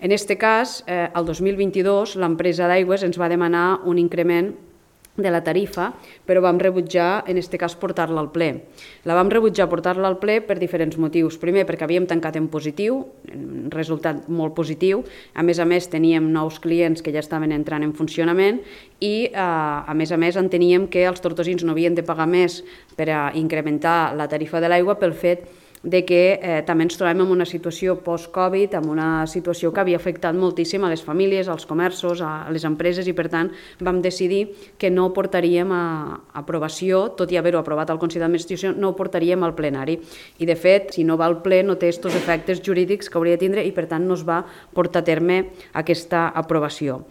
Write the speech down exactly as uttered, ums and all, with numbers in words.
En aquest cas, eh, el dos mil vint-i-dos, l'empresa d'aigües ens va demanar un increment de la tarifa, però vam rebutjar, en aquest cas, portar-la al ple. La vam rebutjar portar-la al ple per diferents motius. Primer, perquè havíem tancat en positiu, un resultat molt positiu. A més a més, teníem nous clients que ja estaven entrant en funcionament i, eh, a més a més, enteníem que els tortosins no havien de pagar més per a incrementar la tarifa de l'aigua pel fet de que eh, també ens trobem en una situació post-Covid, en una situació que havia afectat moltíssim a les famílies, als comerços, a les empreses, i per tant vam decidir que no portaríem a aprovació, tot i haver-ho aprovat al Consell d'Administració, no ho portaríem al plenari. I de fet, si no va al ple, no té aquests efectes jurídics que hauria de tindre i per tant no es va portar a terme aquesta aprovació.